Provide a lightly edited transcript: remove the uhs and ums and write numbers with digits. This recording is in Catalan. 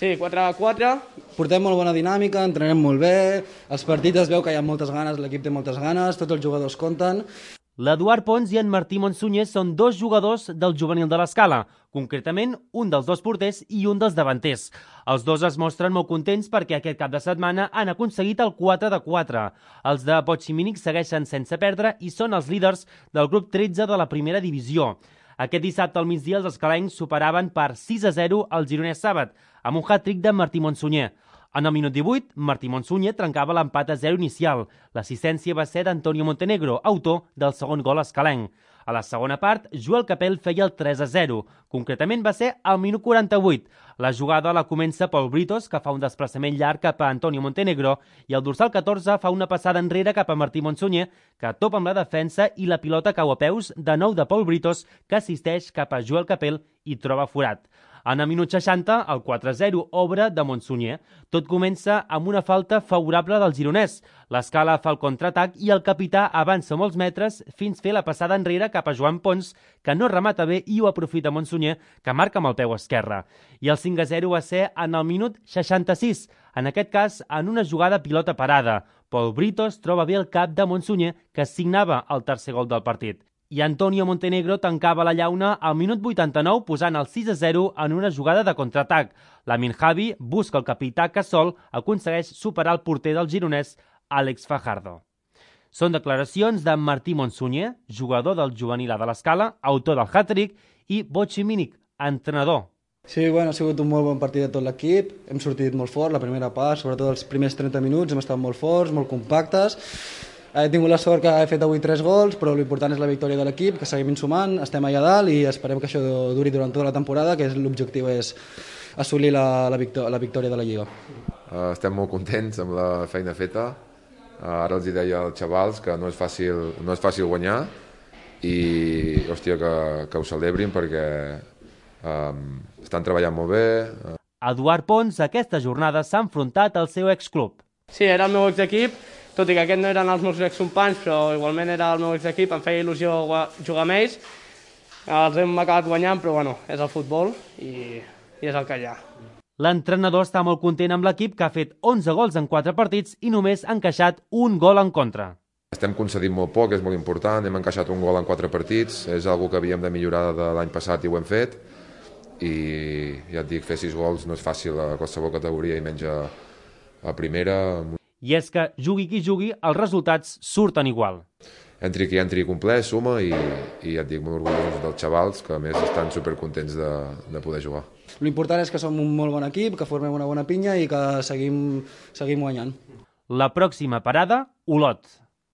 Sí, 4-4. Portem molt bona dinàmica, entrenem molt bé, els partits es veu que hi ha moltes ganes, l'equip té moltes ganes, tots els jugadors compten. L'Eduard Pons i en Martí Monsunyer són dos jugadors del juvenil de l'Escala, concretament un dels dos porters i un dels davanters. Els dos es mostren molt contents perquè aquest cap de setmana han aconseguit el 4-4. Els de Potximínic segueixen sense perdre i són els líders del grup 13 de la primera divisió. Aquest dissabte al migdia els escalencs superaven per 6-0 el Gironès Sàbat, amb un hat-trick de Martí Monsunyer. En el minut 18, Martí Monsunyer trencava l'empat a 0 inicial. L'assistència va ser d'Antonio Montenegro, autor del segon gol escalenc. A la segona part, Joel Capel feia el 3-0. Concretament va ser al minut 48. La jugada la comença Pol Britos, que fa un desplaçament llarg cap a Antonio Montenegro, i el dorsal 14 fa una passada enrere cap a Martí Monsunyer, que topa amb la defensa i la pilota cau a peus de nou de Pol Britos, que assisteix cap a Joel Capel i troba forat. En el minut 60, el 4-0 obre de Monsunyer. Tot comença amb una falta favorable del gironès. L'Escala fa el contraatac i el capità avança molts metres fins fer la passada enrere cap a Joan Pons, que no remata bé i ho aprofita Monsunyer, que marca amb el peu esquerre. I el 5-0 va ser en el minut 66, en aquest cas en una jugada pilota parada. Pol Britos troba bé el cap de Monsunyer, que signava el tercer gol del partit. I Antonio Montenegro tancava la llauna al minut 89 posant el 6-0 en una jugada de contraatac. Lamin Javi busca el capità que sol aconsegueix superar el porter del gironès, Àlex Fajardo. Són declaracions de Martí Monsunyer, jugador del juvenil de l'Escala, autor del hat-trick, i Potximínic, entrenador. Sí, bueno, ha sigut un molt bon partit de tot l'equip, hem sortit molt fort la primera part, sobretot els primers 30 minuts hem estat molt forts, molt compactes. He tingut la sort que he fet avui 3 gols, però l'important és la victòria de l'equip, que seguim sumant, estem allà dalt i esperem que això duri durant tota la temporada, que l'objectiu és assolir la victòria de la Lliga. Estem molt contents amb la feina feta. Ara els deia als xavals que no és fàcil guanyar i hòstia, que ho celebrin perquè estan treballant molt bé. Eduard Pons aquesta jornada s'ha enfrontat al seu exclub. Sí, era el meu exequip, tot i que aquests no eren els meus excompanys, però igualment era el meu exequip, em feia il·lusió jugar amb ells. Els hem acabat guanyant, però bueno, és el futbol i és el que hi ha. L'entrenador està molt content amb l'equip, que ha fet 11 gols en 4 partits i només ha encaixat un gol en contra. Estem concedint molt poc, és molt important, hem encaixat un gol en 4 partits, és una que havíem de millorar de l'any passat i ho hem fet, i ja et dic, fer 6 gols no és fàcil a qualsevol categoria i menys a primera. I és que, jugui qui jugui, els resultats surten igual. Entri qui entri complet, suma i ja et dic, molt orgullosos dels xavals, que a més estan supercontents de poder jugar. L'important és que som un molt bon equip, que formem una bona pinya i que seguim guanyant. La pròxima parada, Olot.